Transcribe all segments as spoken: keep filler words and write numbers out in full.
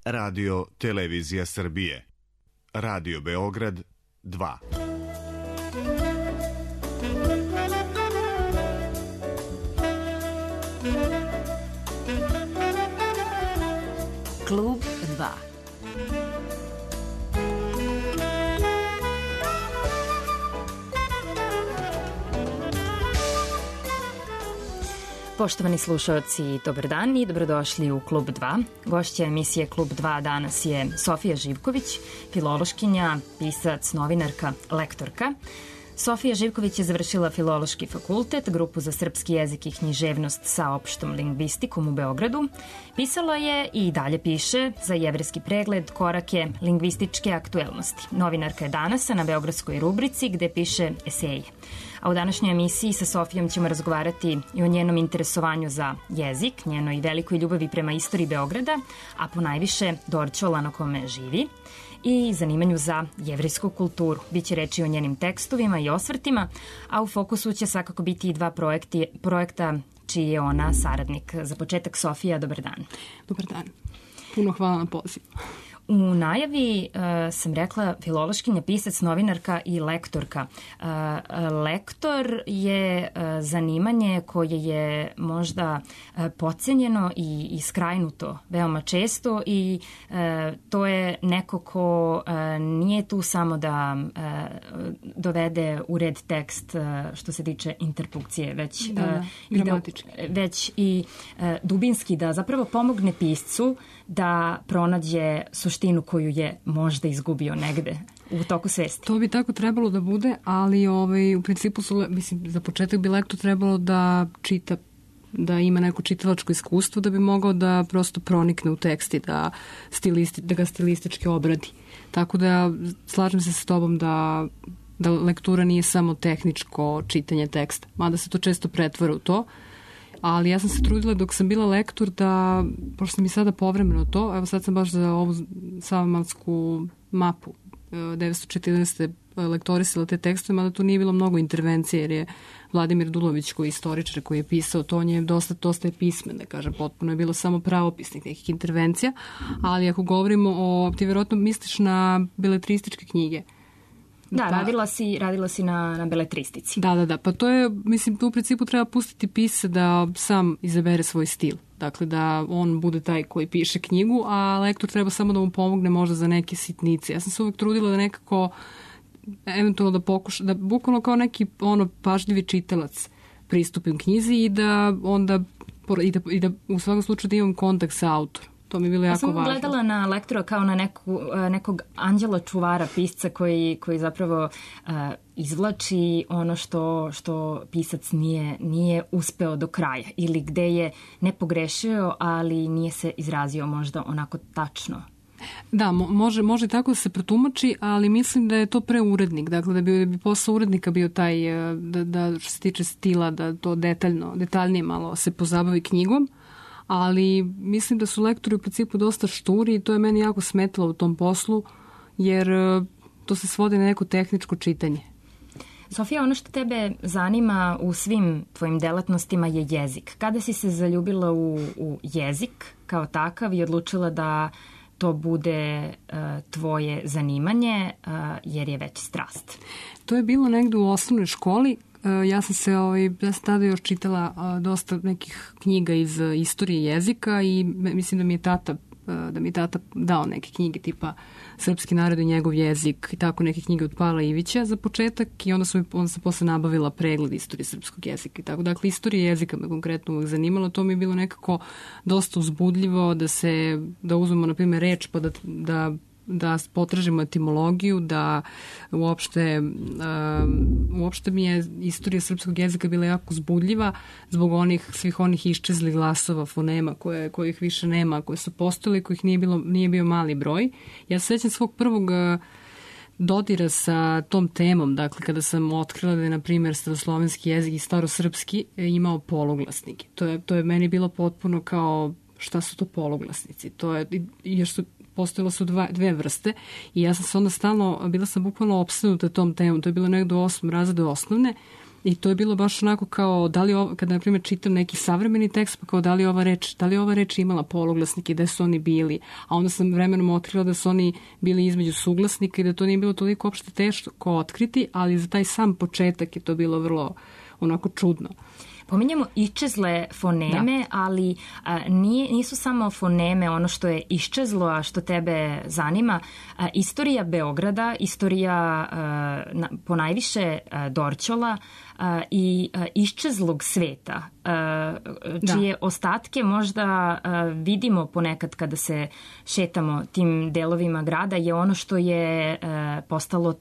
Radio Televizija Srbije. Radio Beograd dva. Klub dva. Poštovani slušalci, dobar dan i dobrodošli u Klub dva. Gošća emisije Klub dva danas je Sofija Živković, filološkinja, pisac, novinarka, lektorka. Sofija Živković je završila Filološki fakultet, grupu za srpski jezik i književnost sa opštom lingvistikom u Beogradu. Pisala je i dalje piše za Jevrejski pregled korake lingvističke aktuelnosti. Novinarka je danas na beogradskoj rubrici gde piše eseje. A u današnjoj emisiji sa Sofijom ćemo razgovarati i o njenom interesovanju za jezik, njenoj velikoj ljubavi prema istoriji Beograda, a ponajviše Dorćola na kome živi, i zanimanju za jevrejsku kulturu. Biće reči o njenim tekstovima i osvrtima, a u fokusu će svakako biti i dva projekti, projekta čiji je ona saradnik. Za početak, Sofija, dobar dan. Dobar dan. Puno hvala na pozivu. U najavi uh, sam rekla filološkinja, pisac, novinarka i lektorka. Uh, lektor je uh, zanimanje koje je možda uh, podcenjeno i iskrajnuto veoma često i uh, to je neko ko uh, nije tu samo da uh, dovede u red tekst uh, što se tiče interpunkcije, već, da, da, uh, i da, već i uh, dubinski da zapravo pomogne piscu da pronađe suštinu koju je možda izgubio negde u toku svesti. To bi tako trebalo da bude, ali ovaj, u principu su, mislim, za početak bi lektor trebalo da čita, da ima neko čitalačko iskustvo da bi mogao da prosto pronikne u tekst i da, stilisti, da ga stilistički obradi. Tako da slažem se s tobom da, da lektura nije samo tehničko čitanje teksta, mada se to često pretvara u to. Ali ja sam se trudila dok sam bila lektor da, pošto sam i sada povremeno to, evo sad sam baš za ovu savamalsku mapu devetsto četrnaeste. lektorisala te tekstove, mada tu nije bilo mnogo intervencije, jer je Vladimir Dulović, koji je istoričar, koji je pisao to, on je dosta, dosta je pismen, da kažem, potpuno je bilo samo pravopisnih nekih intervencija, ali ako govorimo o, ti vjerojatno misliš na beletrističke knjige. Da, pa, radila si, radila si na, na beletristici. Da, da, da. Pa to je, mislim, tu u principu treba pustiti pisca da sam izabere svoj stil. Dakle, da on bude taj koji piše knjigu, a lektor treba samo da mu pomogne možda za neke sitnice. Ja sam se uvek trudila da nekako, eventualno da pokuša, da bukvalno kao neki ono pažljivi čitalac pristupim knjizi i da onda, i da, i da u svakom slučaju da imam kontakt sa autorom. To mi je bilo jako važno. Ja sam gledala na lektora kao na neku, nekog anđela čuvara, pisca koji, koji zapravo uh, izvlači ono što, što pisac nije, nije uspeo do kraja ili gde je ne pogrešio, ali nije se izrazio možda onako tačno. Da, može, može tako da se pretumači, ali mislim da je to preurednik. Dakle, da bi, da bi posao urednika bio taj, da, da što se tiče stila, da to detaljno, detaljnije malo se pozabavi knjigom. Ali mislim da su lektori u principu dosta šturi i to je meni jako smetalo u tom poslu, jer to se svodi na neko tehničko čitanje. Sofija, ono što tebe zanima u svim tvojim delatnostima je jezik. Kada si se zaljubila u, u jezik kao takav i odlučila da to bude uh, tvoje zanimanje, uh, jer je već strast? To je bilo negde u osnovnoj školi. Ja sam se, ovaj, ja sam tada još čitala a, dosta nekih knjiga iz a, istorije jezika i mislim da mi je tata, a, da mi je tata dao neke knjige tipa Srpski narod i njegov jezik i tako neke knjige od Pavla Ivića za početak i onda sam, onda sam posle nabavila pregled istorije srpskog jezika i tako. Dakle, istorija jezika me konkretno uvek zanimala, to mi je bilo nekako dosta uzbudljivo da se, da uzmemo na primjer reč pa da, da da potražimo etimologiju, da uopšte, um, uopšte mi je istorija srpskog jezika bila jako uzbudljiva zbog onih, svih onih iščezlih glasova, fonema koje, kojih više nema, koje su postojali, kojih nije, bilo, nije bio mali broj. Ja se sećam svog prvog dodira sa tom temom, dakle kada sam otkrila da je, na primjer, staroslovenski jezik i starosrpski imao poluglasnike. To je, to je meni bilo potpuno kao šta su to poluglasnici. To je, jer su postojalo su dva, dve vrste i ja sam se onda stalno, bila sam bukvalno opsednuta tom temom, to je bilo negdje u osmom razredu osnovne I to je bilo baš onako kao, da li ovo, kada na primjer čitam neki savremeni tekst, pa kao da li ova reč, da li ova reč imala poluglasnike, gde su oni bili, a onda sam vremenom otkrila da su oni bili između suglasnika i da to nije bilo toliko opšte teško otkriti, ali za taj sam početak je to bilo vrlo onako čudno. Pominjamo iščezle foneme, da. ali a, nije, nisu samo foneme ono što je iščezlo, a što tebe zanima. A, istorija Beograda, istorija a, na, ponajviše a, Dorćola a, i a, iščezlog sveta, a, čije da. ostatke možda a, vidimo ponekad kada se šetamo tim delovima grada, je ono što je a, postalo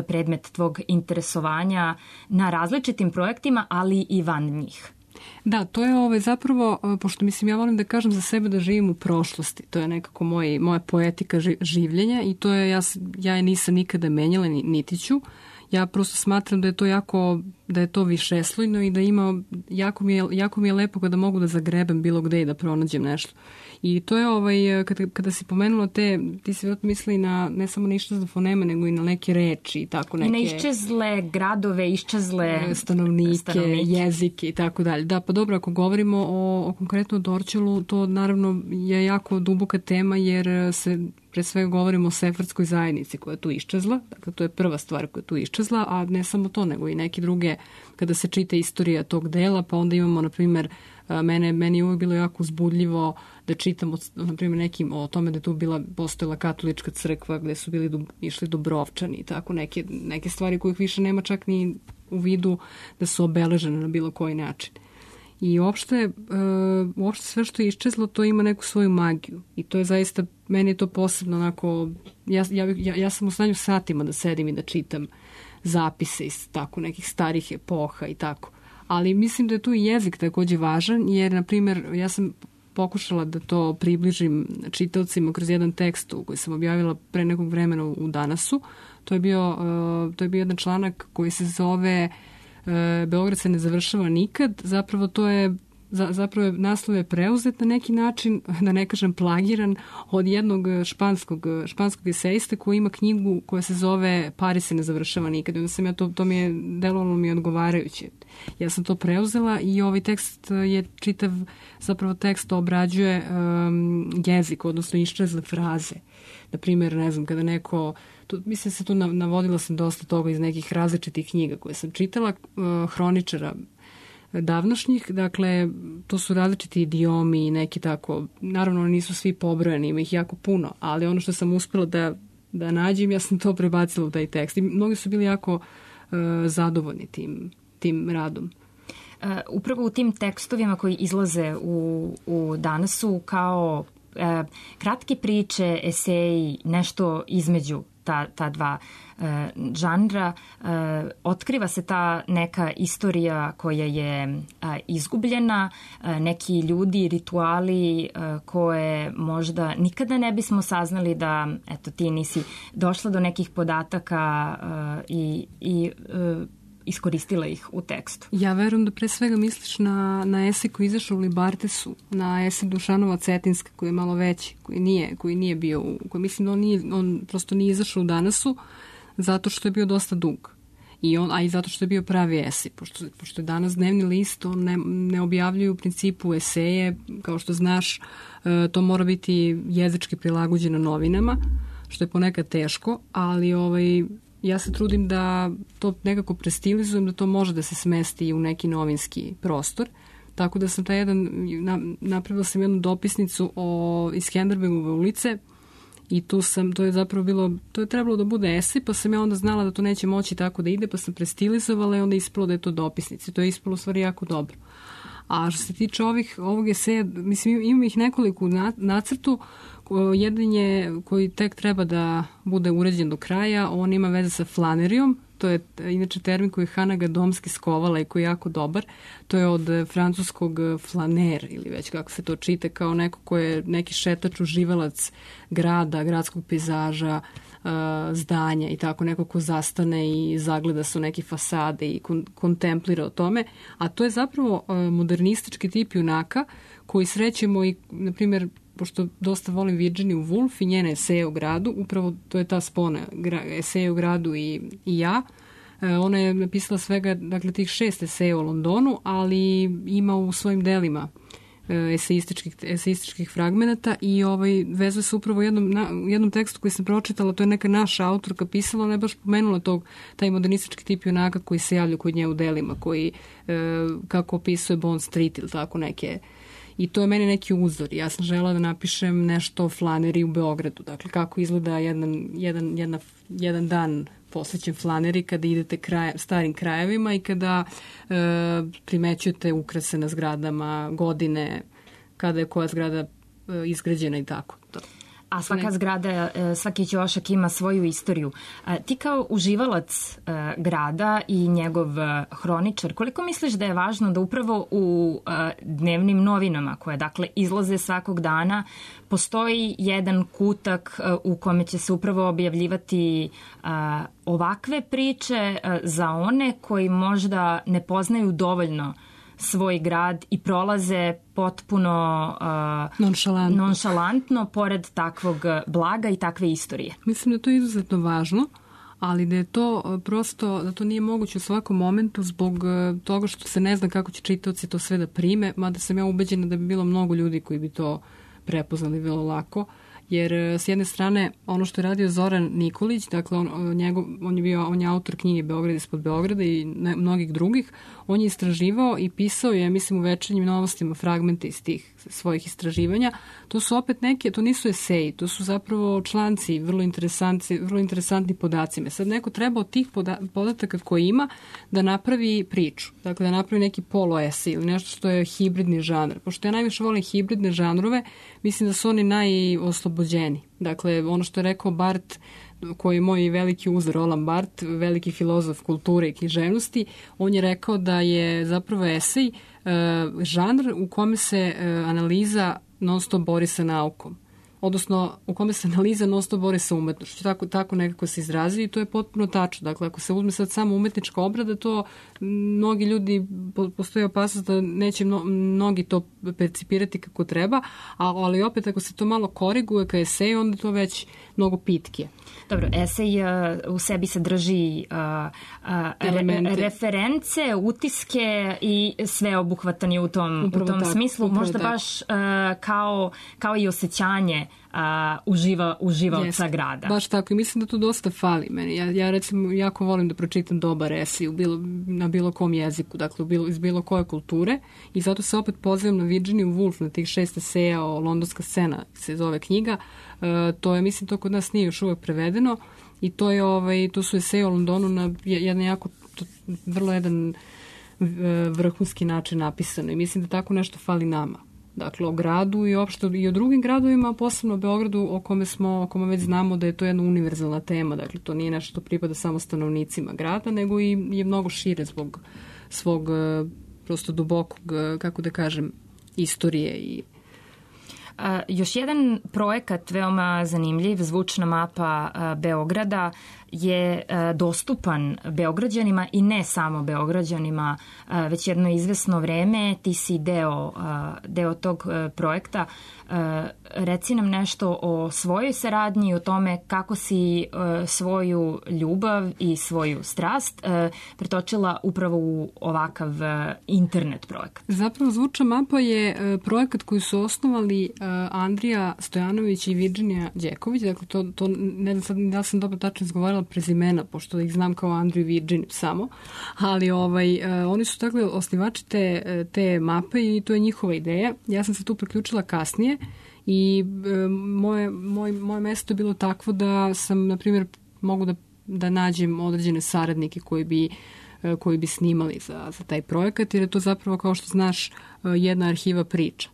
predmet tvog interesovanja na različitim projektima, ali i van njih. Da, to je ovaj, zapravo, pošto mislim ja volim da kažem za sebe da živim u prošlosti, to je nekako moj, moja poetika življenja i to je, ja, ja je nisam nikada menjala, niti ću. Ja prosto smatram da je to jako, da je to višeslojno i da ima, jako mi je, jako mi je lepo kada mogu da zagrebem bilo gde i da pronađem nešto. I to je ovaj, kada, kada si pomenula te, ti si vjerojatno mislili na, ne samo na iščezle foneme, nego i na neke reči i tako neke... I na iščezle gradove, iščezle stanovnike, stanovnike. jezike i tako dalje. Da, pa dobro, ako govorimo o, o konkretno Dorćolu, to naravno je jako duboka tema jer se pre svega govorimo o sefardskoj zajednici koja je tu iščezla, dakle to je prva stvar koja je tu iščezla, a ne samo to, nego i neke druge, kada se čita istorija tog dela, pa onda imamo, na primjer, mene, meni je uvijek bilo jako uzbudljivo da čitam, na primjer, nekim o tome da je tu bila, postojala katolička crkva gde su bili, išli Dubrovčani i tako neke, neke stvari kojih više nema čak ni u vidu da su obeležene na bilo koji način. I uopšte, uh, uopšte sve što je iščezlo, to ima neku svoju magiju. I to je zaista, meni je to posebno onako, ja, ja, ja, ja sam u stanju satima da sedim i da čitam zapise iz tako nekih starih epoha i tako. Ali mislim da je tu i jezik takođe važan, jer, na primjer, ja sam pokušala da to približim čitaocima kroz jedan tekst koji sam objavila pre nekog vremena u Danasu. To je bio, uh, to je bio jedan članak koji se zove Beograd se ne završava nikad, zapravo to je zapravo je naslov je preuzet na neki način, da ne kažem plagiran, od jednog španskog, španskog esejista koji ima knjigu koja se zove Paris se ne završava nikad. Onda sam ja to, to mi je delovalo mi odgovarajuće. Ja sam to preuzela i ovaj tekst je čitav, zapravo tekst obrađuje um, jezik, odnosno iščezle fraze. Na primjer, ne znam, kada neko Tu, mislim se tu navodila sam dosta toga iz nekih različitih knjiga koje sam čitala, uh, hroničara davnošnjih, dakle to su različiti idiomi i neki tako, naravno nisu svi pobrojani, ima ih jako puno, ali ono što sam uspela da, da nađem, ja sam to prebacila u taj tekst i mnogi su bili jako uh, zadovoljni tim, tim radom. Uh, upravo u tim tekstovima koji izlaze u, u Danasu kao uh, kratke priče, eseji, nešto između ta, ta dva uh, žanra, uh, otkriva se ta neka istorija koja je uh, izgubljena, uh, neki ljudi, rituali uh, koje možda nikada ne bismo saznali da, eto, ti nisi došla do nekih podataka uh, i, i uh, iskoristila ih u tekstu. Ja verujem da pre svega misliš na, na esej koji izašao u Libartesu, na esej Dušanova Cetinska koji je malo veći, koji nije, koji nije bio, koji mislim da on, nije, on prosto nije izašao u Danasu zato što je bio dosta dug. I on, a i zato što je bio pravi esej, pošto, pošto je danas dnevni list, on ne, ne objavljuju u principu eseje, kao što znaš, to mora biti jezički prilagođeno novinama, što je ponekad teško, ali ovaj ja se trudim da to nekako prestilizujem, da to može da se smesti u neki novinski prostor. Tako da sam taj jedan, napravila sam jednu dopisnicu o, iz Skenderbegove ulice i tu sam, to je zapravo bilo, to je trebalo da bude esej, pa sam ja onda znala da to neće moći tako da ide, pa sam prestilizovala i onda ispalo da je to dopisnica. To je ispalo u stvari jako dobro. A što se tiče ovih, ovog eseja, mislim, imam ih nekoliko u nacrtu. Jedan je koji tek treba da bude uređen do kraja, on ima veze sa flanerijom, to je inače termin koji je Hana Gadomski skovala i koji je jako dobar, to je od francuskog flaner ili već kako se to čita, kao neko ko je neki šetač, uživalac grada, gradskog pejzaža, zdanja i tako, neko ko zastane i zagleda su neke fasade i kon- kontemplira o tome, a to je zapravo modernistički tip junaka koji srećemo i, na primjer, pošto dosta volim Virginia Woolf i njene eseje o gradu, upravo to je ta spona, eseje o gradu i, i ja, Ona je napisala svega, dakle, tih šest eseja o Londonu, ali ima u svojim delima eseističkih, eseističkih fragmenata i ovaj, vezuje se upravo u jednom, na, jednom tekstu koji sam pročitala, to je neka naša autorka pisala, ona je baš pomenula tog, taj modernistički tip junaka koji se javlja kod nje u delima, koji, e, kako opisuje Bond Street ili tako neke. I to je meni neki uzor. Ja sam žela da napišem nešto o Flaneri u Beogradu. Dakle, kako izgleda jedan, jedan, jedna, jedan dan posvećen Flaneri kada idete kraj, starim krajevima i kada e, primećujete ukrase na zgradama, godine, kada je koja zgrada e, izgrađena i tako. To. A svaka zgrada, svaki ćošak ima svoju istoriju. Ti kao uživalac grada i njegov hroničar, koliko misliš da je važno da upravo u dnevnim novinama, koje dakle izlaze svakog dana, postoji jedan kutak u kome će se upravo objavljivati ovakve priče za one koji možda ne poznaju dovoljno svoj grad i prolaze potpuno uh, nonšalantno. nonšalantno pored takvog blaga i takve istorije. Mislim da to je izuzetno važno, ali da je to prosto, da to nije moguće u svakom momentu zbog toga što se ne zna kako će čitaoci to sve da prime, mada sam ja ubeđena da bi bilo mnogo ljudi koji bi to prepoznali vrlo lako. Jer s jedne strane ono što je radio Zoran Nikolić, dakle on, njegov, on je bio on je autor knjige Beograd ispod Beograda i ne, mnogih drugih, on je istraživao i pisao je, mislim, u Večernjim novostima fragmente iz tih svojih istraživanja. To su opet neke, to nisu eseji, to su zapravo članci, vrlo interesantni, vrlo interesantni podaci. Sad neko treba od tih poda, podataka koje ima da napravi priču, dakle da napravi neki poluesej ili nešto što je hibridni žanr. Pošto ja najviše volim hibridne žanrove, mislim da su oni najoslobođeni. Dakle, ono što je rekao Barth, koji je moj veliki uzor, Roland Barthes, veliki filozof kulture i književnosti, on je rekao da je zapravo esej uh, žanr u kome se uh, analiza non stop bori sa naukom. Odnosno, u kome se analiza non stop bori sa umetnošću. Tako, tako nekako se izrazio i to je potpuno tačno. Dakle, ako se uzme sad samo umetnička obrada, to mnogi ljudi, postoji opasnost da neće mno, mnogi to percipirati kako treba, ali opet ako se to malo koriguje ka eseju, onda to već mnogo pitkije. Dobro, esej uh, u sebi sadrži uh, uh, re, reference, utiske i sve obuhvatan je u tom, u tom tako, smislu. Možda tako. baš uh, kao, kao i osjećanje uh, uživa, uživaoca yes, grada. Baš tako i mislim da to dosta fali meni. Ja, ja recimo jako volim da pročitam dobar esej u bilo, na bilo kom jeziku, dakle u bilo, iz bilo koje kulture i zato se opet pozivam na Virginia Woolf, na tih šest eseja o Londonska scena se zove knjiga. Uh, to je, mislim, to kod nas nije još uvek prevedeno i to je ovaj, to su eseje o Londonu na jedan jako, to, vrlo jedan vrhunski način napisano i mislim da tako nešto fali nama. Dakle, o gradu i opšte i o drugim gradovima, posebno o Beogradu, o kome smo, o kome već znamo da je to jedna univerzalna tema. Dakle, to nije nešto što pripada samo stanovnicima grada, nego i je mnogo šire zbog svog prosto dubokog, kako da kažem, istorije i Uh, još jedan projekat veoma zanimljiv, zvučna mapa uh, Beograda, je uh, dostupan Beograđanima i ne samo Beograđanima, uh, već jedno izvesno vreme. Ti si deo, uh, deo tog uh, projekta. Uh, reci nam nešto o svojoj saradnji, o tome kako si uh, svoju ljubav i svoju strast uh, pretočila upravo u ovakav uh, internet projekat. Zapravo zvučna mapa je uh, projekat koji su osnovali uh, Andrija Stojanović i Virginia Đeković. Dakle, to, to ne znam sad da li sam dobro tačno izgovorila prezimena, pošto ih znam kao Andriju i Virginiju samo, ali ovaj, uh, oni su dakle osnivači te, te mape i to je njihova ideja. Ja sam se tu priključila kasnije i e, moje, moj, moje mesto je bilo takvo da sam, na primjer, mogu da, da nađem određene saradnike koji bi, e, koji bi snimali za, za taj projekat, jer je to zapravo, kao što znaš, jedna arhiva priča.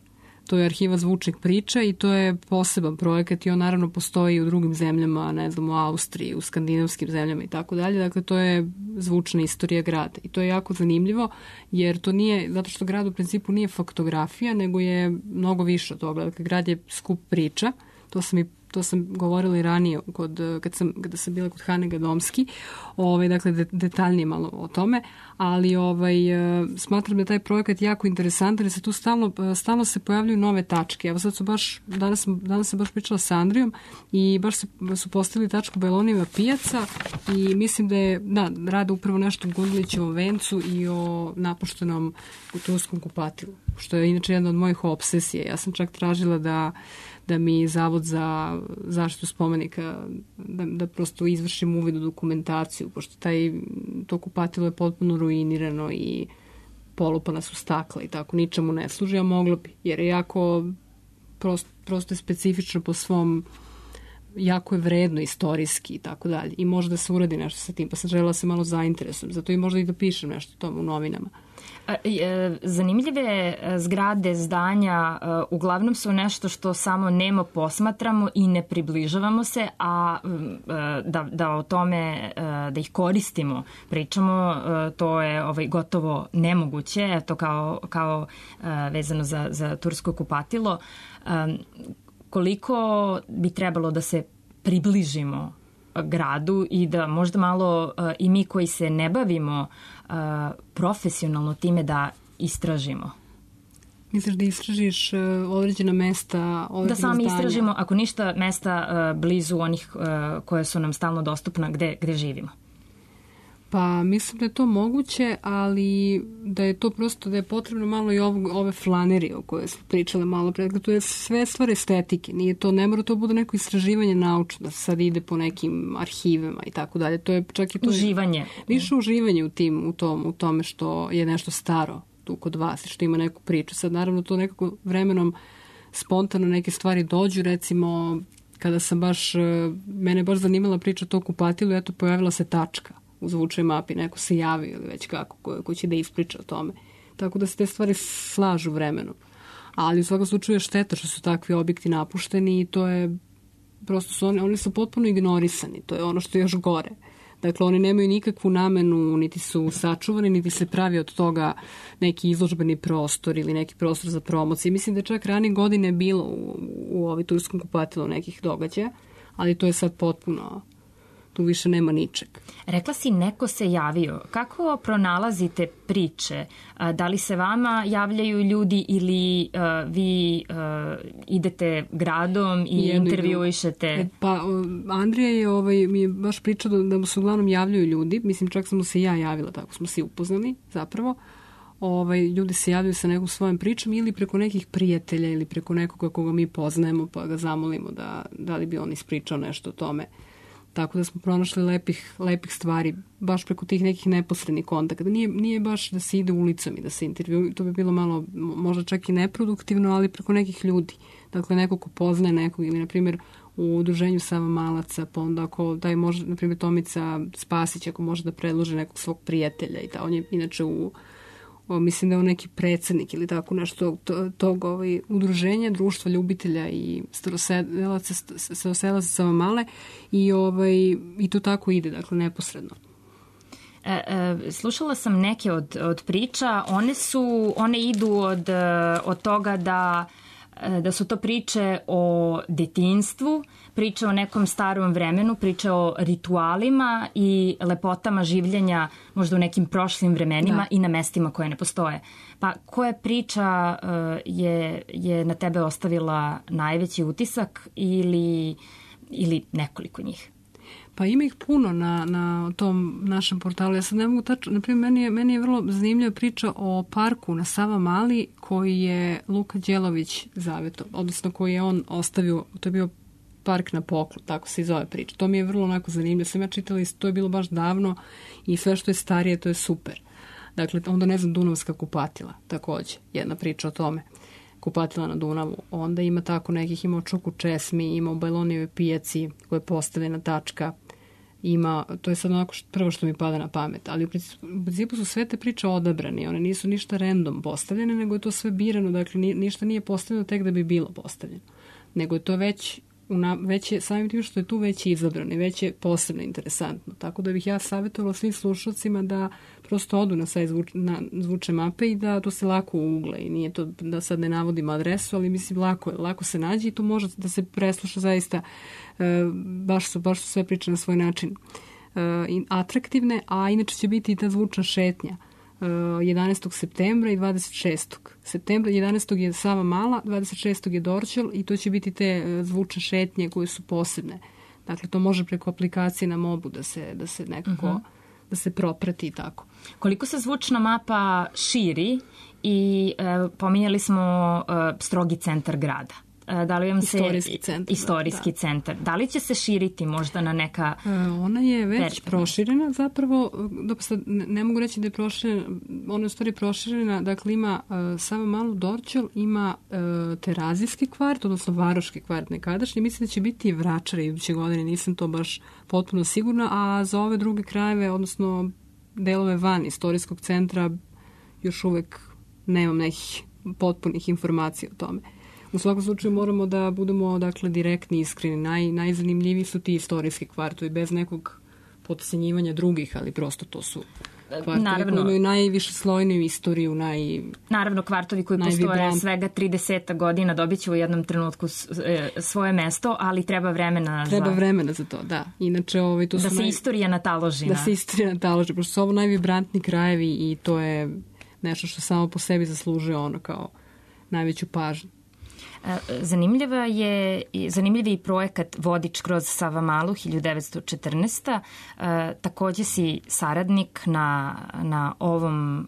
To je arhiva zvučnih priča i to je poseban projekat i on naravno postoji u drugim zemljama, ne znam, u Austriji, u skandinavskim zemljama i tako dalje. Dakle, to je zvučna istorija grada i to je jako zanimljivo jer to nije, zato što grad u principu nije faktografija, nego je mnogo više od toga. Dakle, grad je skup priča, to sam i to sam govorila i ranije kod, kad sam, kada sam bila kod Hane Gadomski, ovaj, dakle de, detaljnije malo o tome, ali ovaj, smatram da je taj projekat jako interesantan, jer se tu stalno, stalno se pojavljuju nove tačke. Evo sad su baš, danas, danas sam baš pričala sa Andrijom i baš se, su postavili tačku Bajlonijeva pijaca i mislim da je, da, rade upravo nešto o Gundulićevom vencu i o napuštenom turskom kupatilu, što je inače jedna od mojih obsesija. Ja sam čak tražila da da mi Zavod za zaštitu spomenika, da, da prosto izvršim uvid u dokumentaciju, pošto taj, to kupatilo je potpuno ruinirano i polupana su stakla i tako, ničemu ne služi, a moglo bi, jer je jako, prosto, prosto je specifično po svom, jako je vredno istorijski i tako dalje. I može da se uradi nešto sa tim, pa sam želela se malo zainteresujem, zato i možda i da pišem nešto o tome u novinama. Zanimljive zgrade, zdanja uglavnom su nešto što samo nemo posmatramo i ne približavamo se, a da, da o tome, da ih koristimo, pričamo, to je ovaj, gotovo nemoguće, to kao, kao vezano za, za tursko kupatilo. Koliko bi trebalo da se približimo gradu i da možda malo uh, i mi koji se ne bavimo uh, profesionalno time da istražimo. Misliš da istražiš uh, određena mesta, određena da sami zdanja? Istražimo, ako ništa, mesta uh, blizu onih uh, koje su nam stalno dostupna gde, gde živimo. Pa mislim da je to moguće, ali da je to prosto, da je potrebno malo i ovog, ove flanerije o koje smo pričale malo pre. To je sve stvar estetike. Nije to, ne mora to bude neko istraživanje naučno, da se sad ide po nekim arhivima i tako dalje. To je čak i to... Uživanje. Više uživanje u, tim, u, tom, u tome što je nešto staro tu kod vas i što ima neku priču. Sad naravno to nekako vremenom spontano neke stvari dođu, recimo kada sam baš, mene baš zanimala priča o to kupatilu, eto pojavila se tačka u zvučnoj mapi, neko se javi ili već kako, ko, ko će da ispriča o tome. Tako da se te stvari slažu vremenom. Ali u svakom slučaju je šteta što su takvi objekti napušteni i to je, prosto su oni, oni su potpuno ignorisani. To je ono što je još gore. Dakle, oni nemaju nikakvu namenu, niti su sačuvani, niti se pravi od toga neki izložbeni prostor ili neki prostor za promociju. Mislim da je čak ranije godine bilo u, u ovoj turskom kupatilu nekih događaja, ali to je sad potpuno... Tu više nema ničeg. Rekla si neko se javio. Kako pronalazite priče? Da li se vama javljaju ljudi ili uh, vi uh, idete gradom i Jedno intervjuišete? E, pa Andrija je, ovaj, mi je baš pričao da, da mu se uglavnom javljaju ljudi. Mislim, čak sam mu se ja javila, tako smo se upoznali zapravo. Ovaj, ljudi se javljaju sa nekom svojom pričom ili preko nekih prijatelja ili preko nekoga koga mi poznajemo pa ga zamolimo da, da li bi on ispričao nešto o tome. Tako da smo pronašli lepih, lepih stvari, baš preko tih nekih neposrednih kontakta. Nije, nije baš da se ide ulicom i da se intervju, to bi bilo malo, možda čak i neproduktivno, ali preko nekih ljudi. Dakle, neko ko poznaje nekog, ili, na primjer, u udruženju Savamalaca, pa onda ako taj može, na primjer, Tomica Spasić, ako može da predlože nekog svog prijatelja i ta, on je inače u, o, mislim da je on neki predsednik ili tako nešto tog, tog ovaj, udruženja, društva ljubitelja i staroselaca, staroselaca Savamale i, ovaj, i to tako ide, dakle, neposredno. E, e, slušala sam neke od, od priča, one su, one idu od, od toga da da su to priče o detinjstvu, priče o nekom starom vremenu, priče o ritualima i lepotama življenja možda u nekim prošlim vremenima da. I na mestima koje ne postoje. Pa koja priča uh, je, je na tebe ostavila najveći utisak ili, ili nekoliko njih? Pa ima ih puno na, na tom našem portalu. Ja sad ne mogu tačno, naprimjer, meni je, meni je vrlo zanimljiva priča o parku na Savamali koji je Luka Đelović zaveto, odnosno koji je on ostavio, to je bio park na poklon, tako se i zove priča. To mi je vrlo onako zanimljivo. Sam ja čitala i to je bilo baš davno i sve što je starije, to je super. Dakle, onda ne znam, Dunavska kupatila, takođe, jedna priča o tome. Kupatila na Dunavu. Onda ima tako nekih, ima o Čuku Česmi, ima o Bajlonijevoj pijaci koja je postavljena tačka. Ima, to je sad onako što, prvo što mi pada na pamet, ali u principu, u principu su sve te priče odabrane, one nisu ništa random postavljene, nego je to sve birano, dakle ni, ništa nije postavljeno tek da bi bilo postavljeno, nego je to već una, već je, samim tim što je tu već izabran i već je posebno interesantno. Tako da bih ja savjetovala svim slušalcima da prosto odu na sajt zvuč, na zvuče mape i da to se lako ugle i nije to da sad ne navodim adresu, ali mislim lako, lako se nađe i to može da se presluša zaista, e, baš, su, baš su sve priče na svoj način e, atraktivne, a inače će biti i ta zvučna šetnja jedanaestog septembra i dvadeset šestog septembra. jedanaestog je Sava Mala, dvadeset šestog je Dorćol i to će biti te zvučne šetnje koje su posebne. Dakle, to može preko aplikacije na mobu da se, da se nekako uh-huh. da se proprati i tako. Koliko se zvučna mapa širi i e, pominjali smo e, strogi centar grada. Da li vam se istorijski centar, istorijski da. centar. Da li će se širiti možda na neka... Ona je već perspektivna. Proširena, zapravo, dobro, sad ne mogu reći da je proširena, ona je u stvari proširena, dakle ima uh, Sava Malu, Dorćol, ima uh, Terazijski kvart, odnosno Varoški kvart nekadašnji, mislim da će biti i Vračari iduće godine, nisam to baš potpuno sigurna, a za ove druge krajeve, odnosno delove van istorijskog centra, još uvek nemam nekih potpunih informacija o tome. U svakom slučaju moramo da budemo dakle direktni, iskreni. Naj, najzanimljiviji su ti istorijski kvartovi bez nekog potcenjivanja drugih, ali prosto to su kvartovi naravno, koji imaju najviše slojniju istoriju. Naj, naravno, kvartovi koji postoje svega trideset godina dobit će u jednom trenutku svoje mesto, ali treba vremena treba za... vremena za to, da. Inače, ovaj, to da su se naj... istorija nataloži. Da se istorija nataloži, pošto su ovo najvibrantni krajevi i to je nešto što samo po sebi zaslužuje ono kao najveću pažnju. Zanimljiva je, zanimljiv je i projekat Vodič kroz Savamalu hiljadu devetsto četrnaeste. E, takođe si saradnik na, na ovom e,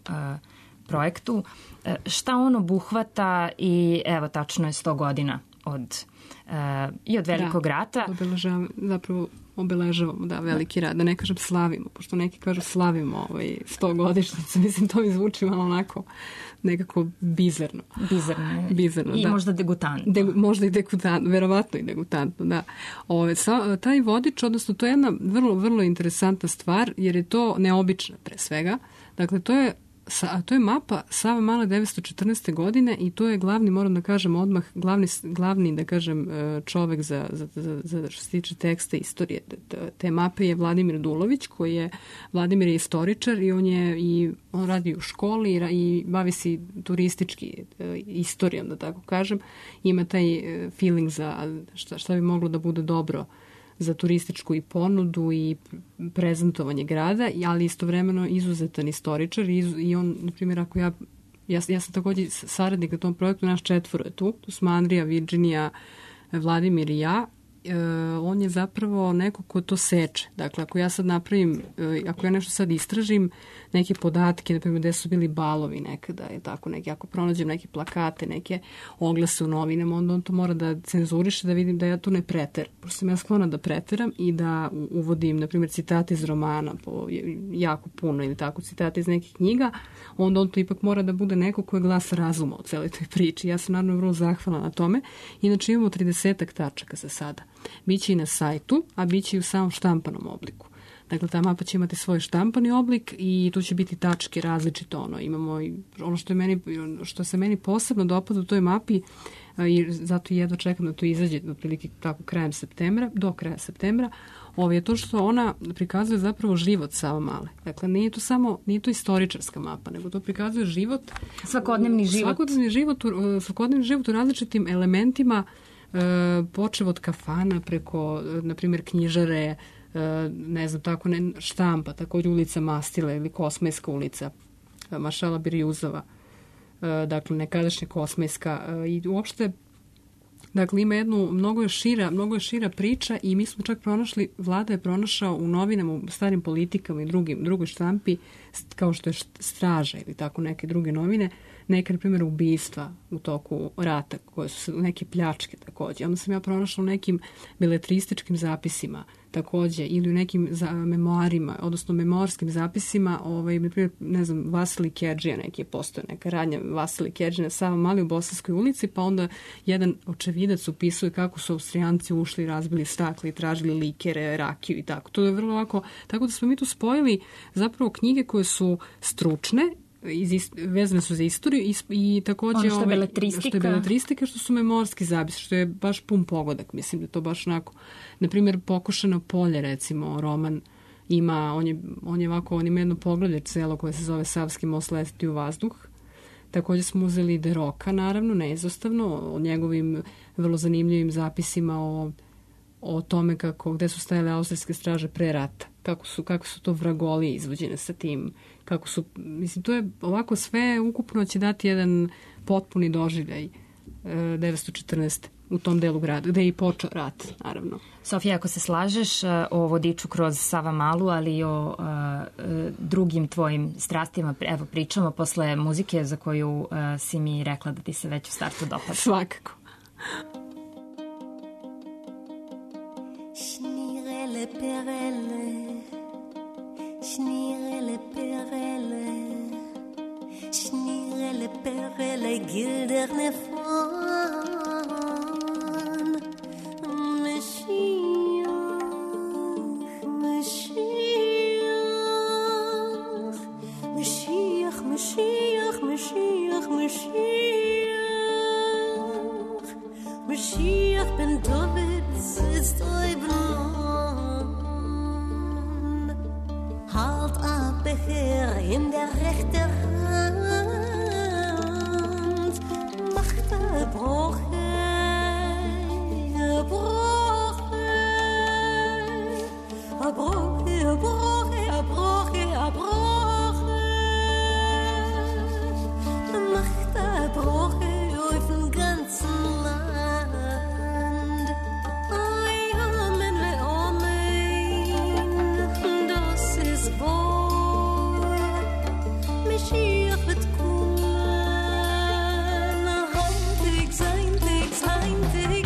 projektu. E, šta on obuhvata i evo tačno je sto godina od, e, i od velikog da, rata. Obeležavamo, zapravo obeležavamo, da, veliki rad. Da ne kažem slavimo, pošto neki kažu slavimo ovaj sto godišnjicu. Mislim, to mi zvuči malo onako nekako bizarno. Bizarno. Bizarno, I da. možda degutantno. De, možda i degutantno, verovatno i degutantno, da. Ove, sa, taj vodič, odnosno, to je jedna vrlo, vrlo interesantna stvar, jer je to neobična pre svega. Dakle, to je Sa, to je mapa Sava Male devetsto četrnaeste. godine i to je glavni, moram da kažem odmah, glavni, glavni da kažem, čovek za, za, za, za što se tiče teksta istorije te, te mape je Vladimir Dulović, koji je, Vladimir je istoričar i on je i on radi u školi i, i bavi se turistički istorijom, da tako kažem. Ima taj feeling za šta, šta bi moglo da bude dobro za turističku i ponudu i prezentovanje grada, ali istovremeno izuzetan istoričar i, i on, na primjer, ako ja, ja, ja sam također saradnik na tom projektu, naš četvoro je tu, tu smo Andrija, Virginija, Vladimir i ja, e, on je zapravo neko ko to seče. Dakle, ako ja sad napravim, e, ako ja nešto sad istražim, neke podatke, na primjer, gde su bili balovi nekada, je tako, neki, ako pronađem neke plakate, neke oglase u novinama, onda on to mora da cenzuriše, da vidim da ja tu ne preteram. Pošto sam ja sklona da preteram i da uvodim, na primjer, citate iz romana, po, jako puno ili tako, citate iz nekih knjiga, onda on to ipak mora da bude neko ko je glas razuma u celoj toj priči. Ja sam naravno vrlo zahvalna na tome. Inače imamo tridesetak tačaka za sada. Biće i na sajtu, a biće i u samom štampanom obliku. Dakle, ta mapa će imati svoj štampani oblik i tu će biti tačke različito. Ono, imamo i ono što, je meni, što se meni posebno dopada u toj mapi i zato jedva čekam da to izađe otprilike tako krajem septembra, do kraja septembra, ovo je to što ona prikazuje zapravo život Sava Male. Dakle, nije to samo, nije to istoričarska mapa, nego to prikazuje život, svakodnevni život, svakodnevni život, svakodnevni život u različitim elementima, počev od kafana preko, na primjer, knjižare, ne znam, tako ne, štampa, također ulica Mastile ili Kosmajska ulica, Maršala Birjuzova, dakle, nekadašnja Kosmajska i uopšte, dakle, ima jednu, mnogo je šira, mnogo je šira priča i mi smo čak pronašli, Vlada je pronašao u novinama, u starim politikama i drugim, drugoj štampi, kao što je Straža ili tako neke druge novine, neke, na primjer, ubistva u toku rata, koje su neke pljačke također. Onda sam ja pronašla u nekim beletrističkim zapisima također ili u nekim za, memoarima, odnosno memoarskim zapisima, ovaj, na primjer, ne znam, Vasilij Kedžija neki je postoje, neka radnja Vasilij Kedžija na Sava Mali u Bosanskoj ulici, pa onda jedan očevidac upisuje kako su Austrijanci ušli, razbili stakle i tražili likere, rakiju i tako. To je vrlo lako, tako da smo mi tu spojili zapravo knjige koje su stručne, iz ist, vezane su za istoriju i, i takođe ono što je ovaj, beletristika. Što je beletristika, što su memorski zapis, što je baš pun pogodak. Mislim da to baš onako, na primjer, Pokošano polje, recimo, roman ima, on je, on je ovako, on ima jedno poglavlje celo koje se zove Savski most leti u vazduh. Takođe smo uzeli Deroka, naravno, neizostavno, o njegovim vrlo zanimljivim zapisima o, o tome kako, gde su stajale austrijske straže pre rata, kako su, kako su to vragolije izvođene sa tim, kako su, mislim, to je ovako sve ukupno će dati jedan potpuni doživljaj devetsto četrnaeste u tom delu grada, gde je i počeo rat, naravno. Sofija, ako se slažeš o vodiču kroz Savamalu, ali i o a, a, drugim tvojim strastima, evo pričamo posle muzike za koju a, si mi rekla da ti se već u startu dopada. Svakako. Schnirele perele, schnirele perele, schnirele perele, gilderne von. Mashiach, Mashiach, Mashiach, Mashiach ben David ist Oibnon. Halt ab, Becher in der rechten Hand, macht er Broche, Broche, Broche, Broche, Broche, Broche. Broche auf dem ganzen Land. Ay, amen, le amen, das ist wahr. Mashiach wird kommen, heintig, seintig, seintig,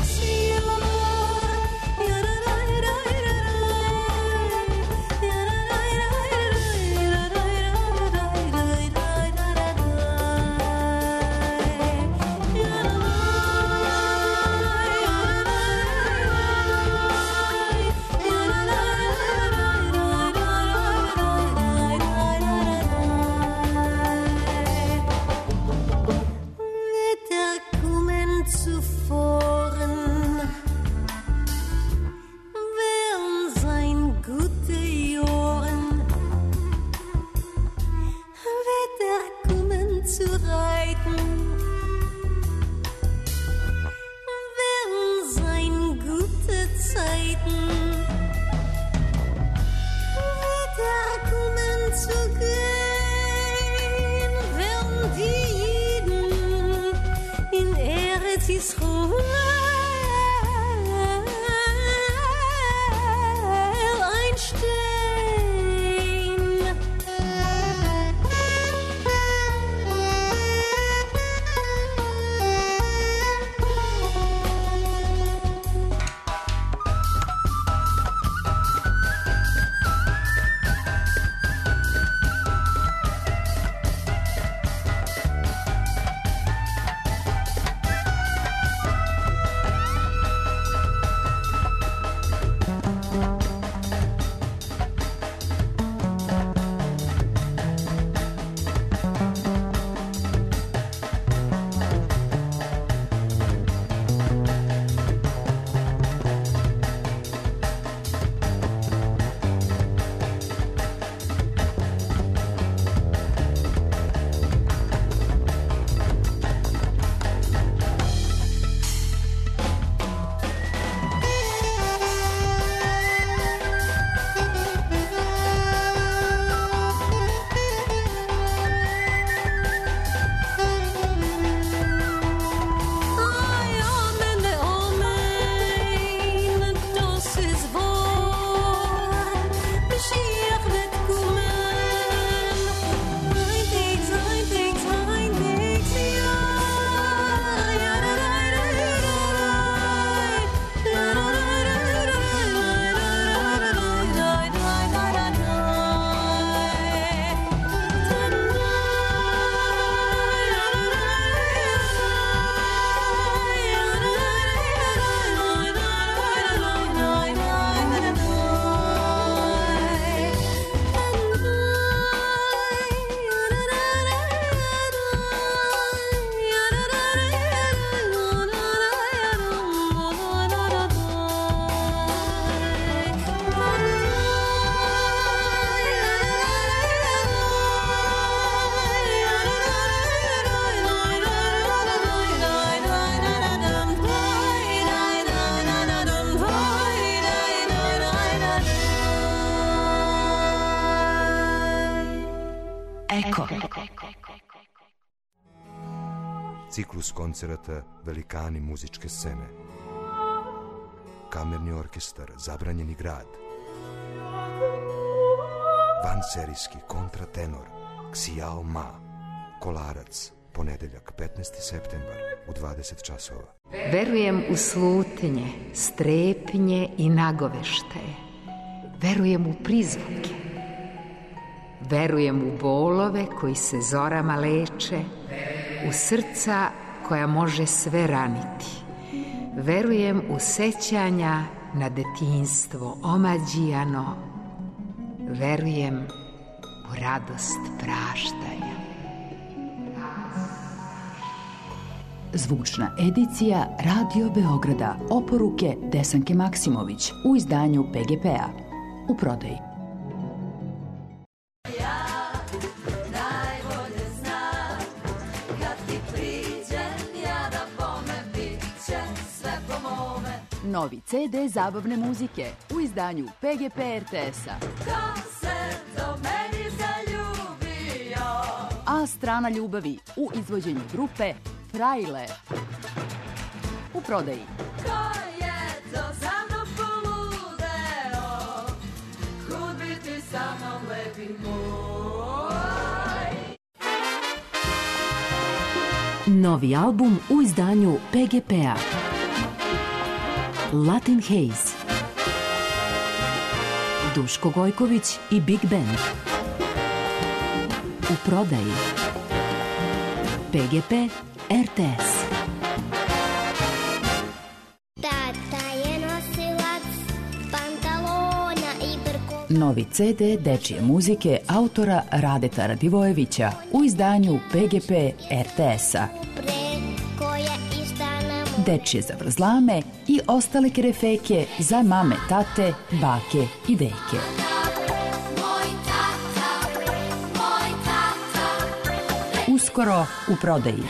Eko. Ciklus koncerata Velikani muzičke scene. Kamerni orkestar Zabranjeni grad. Vanserijski kontratenor Xiao Ma. Kolarac, ponedeljak petnaesti septembar u dvadeset časova. Verujem u slutnje, strepnje i nagoveštaje. Verujem u prizvuke. Verujem u bolove koji se zorama leče, u srca koja može sve raniti. Verujem u sećanja na detinjstvo omađijano. Verujem u radost praštanja. Zvučna edicija Radio Beograda. Oporuke Desanke Maksimović u izdanju P G P-a. U prodaji. Novi ce de zabavne muzike u izdanju P G P R T S-a. Ko se do meni zaljubio? A strana ljubavi u izvođenju grupe Frajle. U prodaji. Ko je to za mnom poludeo? Kud bi ti sa mnom lepi moj? Novi album u izdanju P G P-a. Latin Haze. Duško Gojković i Big Band. U prodaji. P G P R T S. Tata je nosilac pantalona i brko. Novi ce de dečije muzike autora Radeta Radivojevića u izdanju P G P R T S-a. Dečije zavrzlame i ostale kerefeke za mame, tate, bake i deke. Uskoro u prodaji.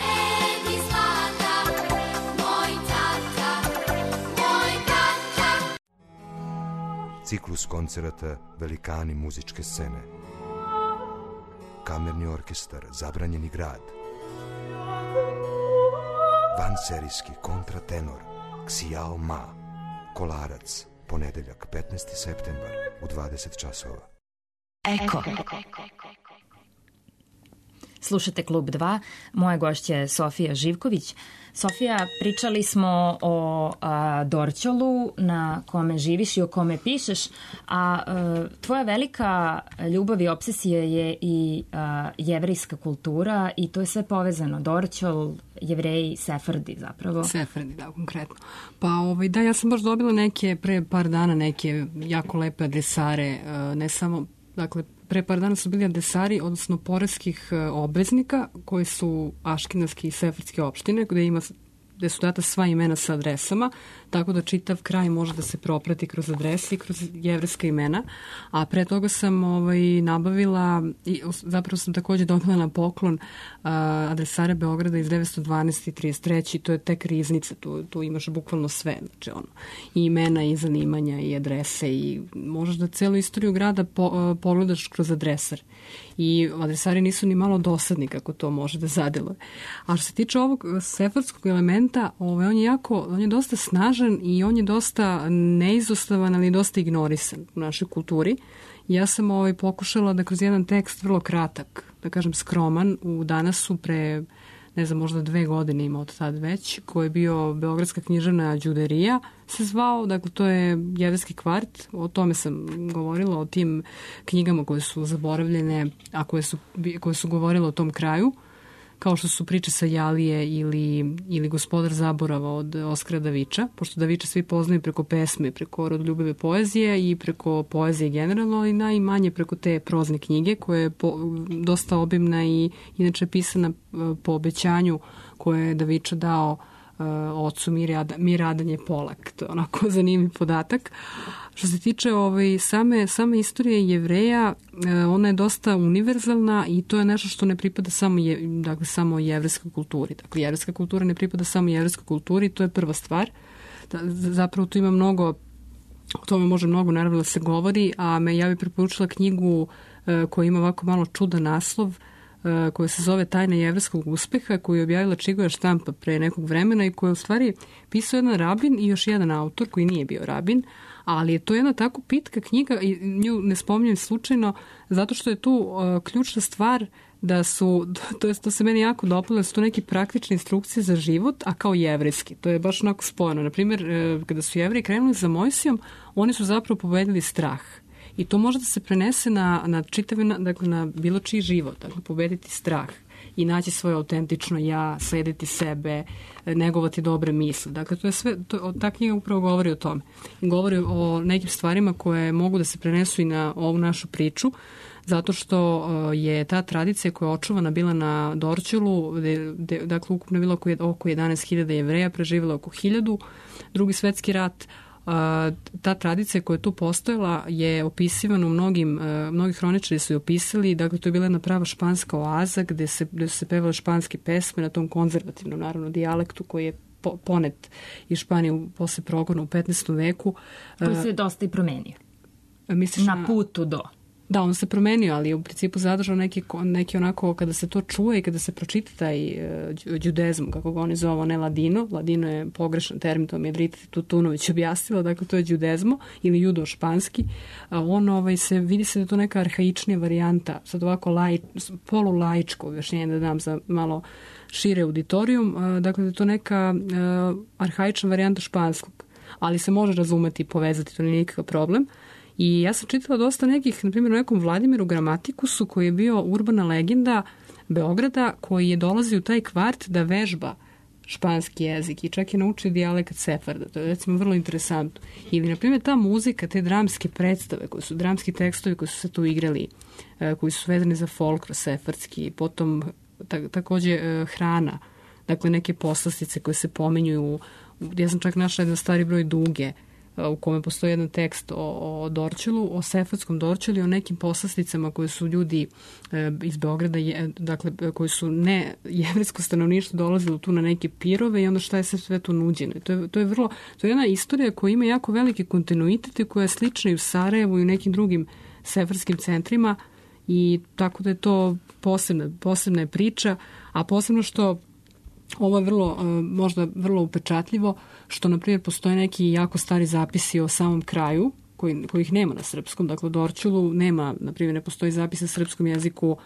Ciklus koncerata Velikani muzičke scene. Kamerni orkestar Zabranjeni grad. Vanserijski kontratenor Xiao Ma. Kolarac, ponedeljak petnaesti septembar u dvadeset časova. Eko. Slušate Klub dva, moja gošća je Sofija Živković. Sofija, pričali smo o a, Dorćolu na kome živiš i o kome pišeš, a, a tvoja velika ljubav i obsesija je i a, jevrejska kultura i to je sve povezano. Dorćol, Jevreji, Sefardi zapravo. Sefardi, da, konkretno. Pa ovaj, da, ja sam baš dobila neke, pre par dana neke jako lepe adresare, ne samo, dakle, pre par dana su bili adresari, odnosno poreskih obveznika koji su aškenazke i sefardske opštine, gde ima gde su data sva imena sa adresama, tako da čitav kraj može da se proprati kroz adrese i kroz jevrejska imena. A pre toga sam ovaj, nabavila, i zapravo sam takođe dobila na poklon uh, adresare Beograda iz devetsto dvanaest i trideset treće To je tek riznica, tu, tu imaš bukvalno sve, znači ono, i imena i zanimanja i adrese i možeš da celu istoriju grada po, uh, pogledaš kroz adresar. I adresari nisu ni malo dosadni kako to može da zadeluje. A što se tiče ovog sefardskog elementa, ovaj, on je jako, on je dosta snažan i on je dosta neizostavan, ali dosta ignorisan u našoj kulturi. Ja sam ovaj, pokušala da kroz jedan tekst vrlo kratak, da kažem skroman, u Danasu pre, ne znam, možda dve godine ima od tad već, koji je bio Beogradska književna đuderija, se zvao, dakle to je jevrejski kvart, o tome sam govorila, o tim knjigama koje su zaboravljene, a koje su, koje su govorile o tom kraju, kao što su priče sa Jalije ili, ili Gospodar zaborava od Oskara Daviča, pošto Daviča svi poznaju preko pesme, preko rodoljubive poezije i preko poezije generalno, ali najmanje preko te prozne knjige koja je po, dosta obimna i inače pisana po obećanju koje je Daviča dao uh, ocu Miradan je Polak. To je onako zanimljiv podatak. Što se tiče ovaj, same, same istorije Jevreja, ona je dosta univerzalna i to je nešto što ne pripada samo, je, dakle, samo jevrejskoj kulturi. Dakle, jevrejska kultura ne pripada samo jevrejskoj kulturi, to je prva stvar. Da, zapravo tu ima mnogo, o tome može mnogo naravno da se govori, a me ja bih preporučila knjigu koja ima ovako malo čudan naslov, koja se zove Tajna jevreskog uspeha, koju je objavila Čigoja štampa pre nekog vremena i koja je u stvari pisao jedan rabin i još jedan autor koji nije bio rabin, ali je to jedna tako pitka knjiga i nju ne spominjem slučajno zato što je tu uh, ključna stvar da su, to, je, to se meni jako dopalo, da su to neke praktične instrukcije za život, a kao jevrejski. To je baš onako spojeno. Naprimjer, uh, kada su Jevreji krenuli za Mojsijom, oni su zapravo pobedili strah. I to može da se prenese na, na čitavi, dakle na bilo čiji život, dakle pobediti strah i naći svoje autentično ja, slediti sebe, negovati dobre misli. Dakle, to je sve, to, ta knjiga upravo govori o tome. I govori o nekim stvarima koje mogu da se prenesu i na ovu našu priču, zato što je ta tradicija koja je očuvana bila na Dorćolu, gde, gde, dakle, ukupno je bilo oko, oko jedanaest hiljada Jevreja, preživjela oko hiljadu, Drugi svetski rat. Ta tradicija koja je tu postojala je opisivana u mnogim, mnogi hroničari su je opisali, dakle to je bila jedna prava španska oaza gde, se, gde su se pevale španske pesme na tom konzervativnom naravno dijalektu koji je po, ponet iz Španije posle progona u petnaestom veku. Koji se dosta i promenio. Misliš na putu do... Da, on se promenio, ali je u principu zadržao neki, neki onako, kada se to čuje i kada se pročita taj uh, đudezm, kako ga oni zovu, ne ladino, ladino je pogrešan termin, to mi je Drita Tutunović objasnila, dakle to je đudezmo ili judo španski, a on ovaj, se, vidi se da je to neka arhaičnija varijanta, sad ovako laj, polulaičko objašnjenje da dam za malo šire auditorijum, uh, dakle da je to neka uh, arhaična varijanta španskog, ali se može razumeti i povezati, to nije nikakav problem. I ja sam čitala dosta nekih, na primjer u nekom Vladimiru Gramatikusu koji je bio urbana legenda Beograda koji je dolazio u taj kvart da vežba španski jezik i čak je naučio dijalekt sefarda. To je recimo vrlo interesantno. Ili na primjer ta muzika, te dramske predstave, koji su dramski tekstovi koji su se tu igrali, koji su vezani za folklor sefardski, potom ta, takođe hrana, dakle neke poslastice koje se pominjuju. Ja sam čak našla jedan stari broj Duge u kome postoji jedan tekst o, o Dorćolu, o sefardskom Dorćolu i o nekim poslasticama koje su ljudi e, iz Beograda, je, dakle, koji su ne jevrejsko stanovništvo dolazili tu na neke pirove i onda šta je sve, sve tu nuđeno. I to je, to je vrlo, to je jedna istorija koja ima jako veliki kontinuitet i koja je slična i u Sarajevu i u nekim drugim sefarskim centrima i tako da je to posebna, posebna je priča, a posebno što ovo je vrlo, možda vrlo upečatljivo, što, na primjer, postoje neki jako stari zapisi o samom kraju, koji, kojih nema na srpskom. Dakle, u Dorćolu nema, na primjer, ne postoji zapis na srpskom jeziku,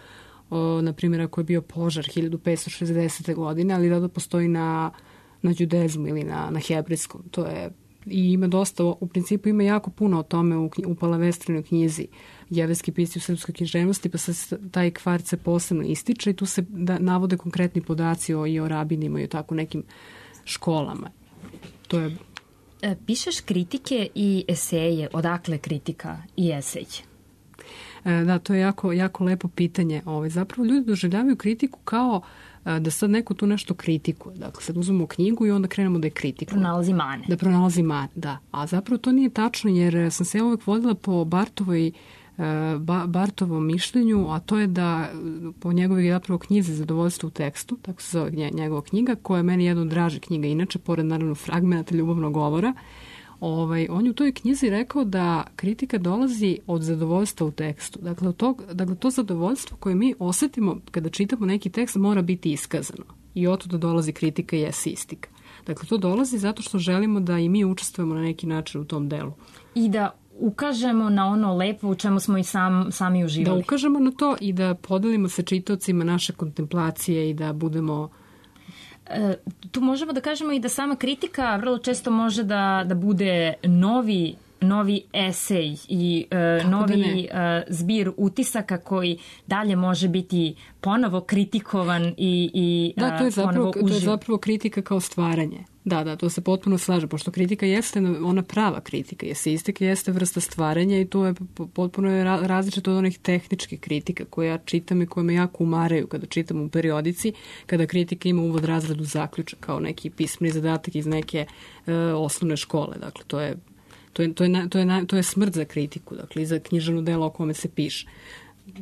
o, na primjer, ako je bio požar hiljadu petsto šezdesete godine, ali da postoji na, na đudezmu ili na, na hebrejskom. To je, i ima dosta, u principu ima jako puno o tome u, u Palavestrinoj knjizi jevrejski pisci u srpskoj književnosti, pa se taj kvart se posebno ističe i tu se da, navode konkretni podaci o, i o rabinima i o tako nekim školama. To je... E, pišeš kritike i eseje. Odakle kritika i esej? E, da, to je jako, jako lepo pitanje. Ove, zapravo ljudi doživljavaju kritiku kao e, da sad neko tu nešto kritikuje. Dakle, sad uzmemo knjigu i onda krenemo da je kritikuje. Pronalazi mane. Da pronalazi mane, da. A zapravo to nije tačno jer sam se uvek vodila po Bartovoj Bartovom mišljenju, a to je da po njegovoj zapravo knjizi Zadovoljstvo u tekstu, tako se zove njegova knjiga, koja je meni jedna od draže knjiga, inače, pored naravno fragmenata ljubavnog govora, ovaj, on je u toj knjizi rekao da kritika dolazi od zadovoljstva u tekstu. Dakle, od tog, dakle to zadovoljstvo koje mi osetimo kada čitamo neki tekst mora biti iskazano. I od da dolazi kritika i esistika. Dakle, to dolazi zato što želimo da i mi učestvujemo na neki način u tom delu. I da ukažemo na ono lepo u čemu smo i sam, sami uživali. Da ukažemo na to i da podelimo sa čitaocima naše kontemplacije i da budemo... E, tu možemo da kažemo i da sama kritika vrlo često može da, da bude novi novi esej i e, novi e, zbir utisaka koji dalje može biti ponovo kritikovan i, i da, to je zapravo, ponovo uživ. To je zapravo kritika kao stvaranje. Da, da, to se potpuno slaže, pošto kritika jeste ona prava kritika, esejistika jeste vrsta stvaranja i to je potpuno je različito od onih tehničkih kritika koje ja čitam i koje me jako umaraju kada čitam u periodici, kada kritika ima uvod, razradu, zaključak kao neki pismeni zadatak iz neke e, osnovne škole. Dakle, to je To je, to, je, to, je, to je smrt za kritiku, dakle, i za književno delo o kome se piše.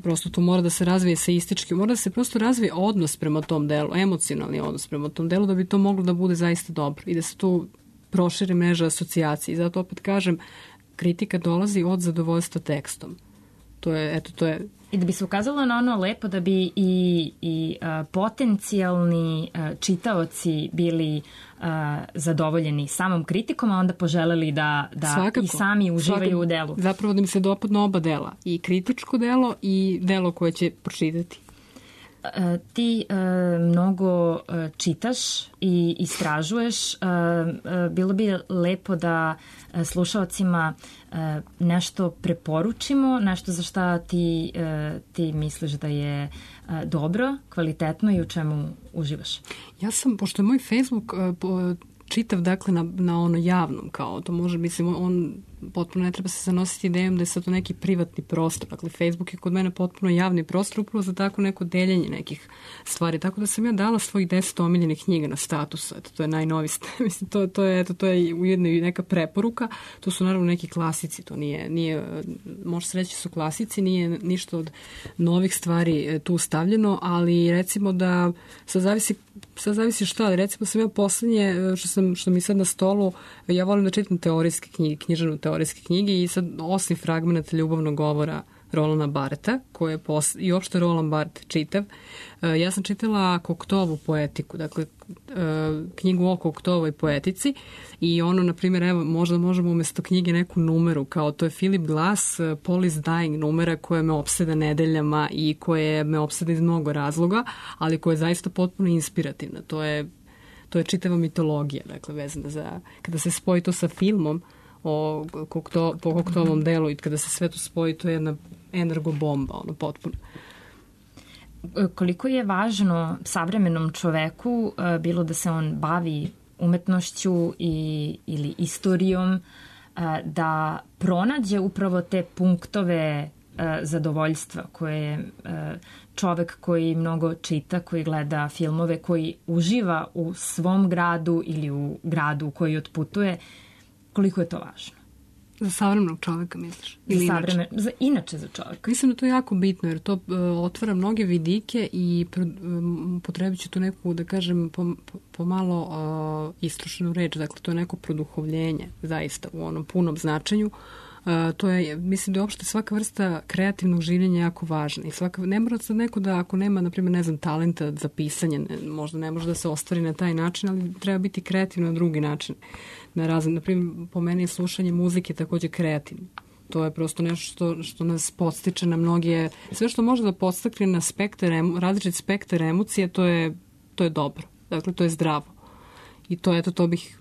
Prosto to mora da se razvije eseistički, mora da se prosto razvije odnos prema tom delu, emocionalni odnos prema tom delu, da bi to moglo da bude zaista dobro i da se tu proširi mreža asocijacije. I zato opet kažem, kritika dolazi od zadovoljstva tekstom. To je, eto, to je... I da bi se ukazalo na ono lepo da bi i, i a, potencijalni a, čitaoci bili a, zadovoljeni samom kritikom, a onda poželeli da, da Svakako. i sami uživaju Svakako. u delu. Zapravo da mi se dopadnu oba dela. I kritičko delo i delo koje će pročitati. E, ti e, mnogo e, čitaš i istražuješ. E, e, bilo bi lepo da e, slušaocima e, nešto preporučimo, nešto za šta ti, e, ti misliš da je e, dobro, kvalitetno i u čemu uživaš. Ja sam, pošto je moj Facebook e, po, čitav, dakle, na, na ono javnom, kao to može, mislim, on potpuno ne treba se zanositi idejom da je sad to neki privatni prostor. Dakle, Facebook je kod mene potpuno javni prostor upravo za tako neko deljenje nekih stvari. Tako da sam ja dala svojih deset omiljenih knjiga na status. Eto, to je najnoviji. Mislim, to, to, je, eto, to je ujedno i neka preporuka. To su naravno neki klasici. To nije, nije može se reći su klasici, nije ništa od novih stvari tu stavljeno, ali recimo da sad zavisi, sad zavisi šta, ali recimo sam ja poslednje, što, sam, što mi sad na stolu, ja volim da čitam teorijske knjige, književnu teorijske knjige i sad osim fragmenata ljubavnog govora Rolanda Bartha, koje je pos... i uopšte Roland Barthes čitav. Ja sam čitala Koktovu poetiku, dakle knjigu o Koktovoj poetici i ono, na primjer, evo, možda možemo umjesto knjige neku numeru, kao to je Philip Glass, Paul is Dying numera koja me opseda nedeljama i koje me opseda iz mnogo razloga, ali koja je zaista potpuno inspirativna. To je, to je čitava mitologija, dakle, vezana za, kada se spoji to sa filmom, o kokto, po Koktovom delu i kada se sve to spoji, to je jedna energobomba, ono, potpuno. Koliko je važno savremenom čoveku, bilo da se on bavi umetnošću i, ili istorijom, da pronađe upravo te punktove zadovoljstva koje čovek koji mnogo čita, koji gleda filmove, koji uživa u svom gradu ili u gradu u koji otputuje, koliko je to važno? Za savremenog čoveka, misliš? Ili za savremen, inače? Za, inače za čoveka. Mislim da to je jako bitno, jer to uh, otvara mnoge vidike i um, potrebit ću tu neku, da kažem, pomalo po uh, istrošenu reč. Dakle, to je neko produhovljenje, zaista, u onom punom značenju. Uh, to je, mislim da je uopšte svaka vrsta kreativnog življenja jako važna. I svaka, ne mora sad neko da, ako nema, na primjer, ne znam, talenta za pisanje, ne, možda ne može da se ostvari na taj način, ali treba biti kreativno na drugi način. Na razne, na primjer, po meni je slušanje muzike također kreativno. To je prosto nešto što, što nas podstiče na mnoge, sve što može da podstakne na spektar, različit spektar emocije, to je, to je dobro. Dakle, to je zdravo. I to, eto, to bih,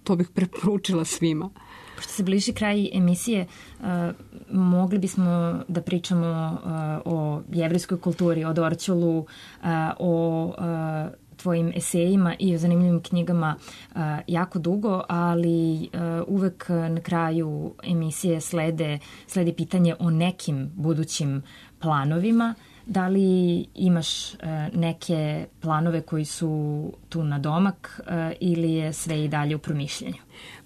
to bih preporučila svima. Pošto se bliži kraj emisije, uh, mogli bismo da pričamo uh, o jevrejskoj kulturi, o Dorćolu, uh, o uh, tvojim esejima i o zanimljivim knjigama uh, jako dugo, ali uh, uvek na kraju emisije slede, slede pitanje o nekim budućim planovima. Da li imaš uh, neke planove koji su tu na domak uh, ili je sve i dalje u promišljanju?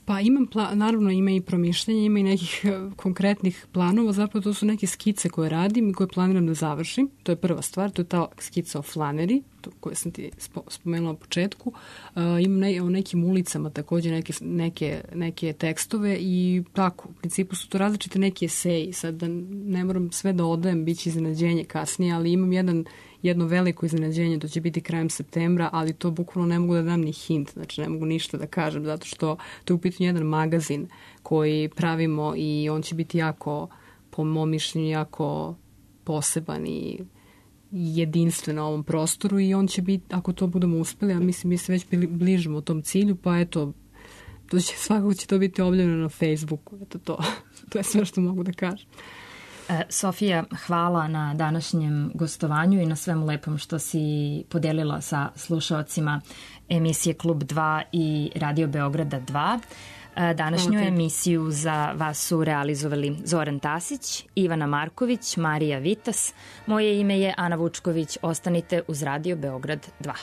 Pa imam, pla- naravno ima i promišljanja, ima i nekih konkretnih planova, zapravo to su neke skice koje radim i koje planiram da završim. To je prva stvar, to je ta skica o Flaneri, koju sam ti spomenula na početku. Uh, imam ne, o nekim ulicama također neke, neke, neke tekstove i tako, u principu su to različite neki eseji. Sad da ne moram sve da odajem, bit će iznenađenje kasnije, ali imam jedan jedno veliko iznenađenje, to će biti krajem septembra, ali to bukvalno ne mogu da dam ni hint, znači ne mogu ništa da kažem, zato što to je u pitanju jedan magazin koji pravimo i on će biti jako, po mom mišljenju, jako poseban i jedinstven na ovom prostoru i on će biti, ako to budemo uspeli, a mislim mi se već bližimo tom cilju, pa eto, to će, svakako će to biti objavljeno na Facebooku, eto to, to je sve što mogu da kažem. Sofija, hvala na današnjem gostovanju i na svemu lepom što si podelila sa slušaocima emisije Klub dva i Radio Beograda dva. Današnju emisiju za vas su realizovali Zoran Tasić, Ivana Marković, Marija Vitas. Moje ime je Ana Vučković. Ostanite uz Radio Beograd dva.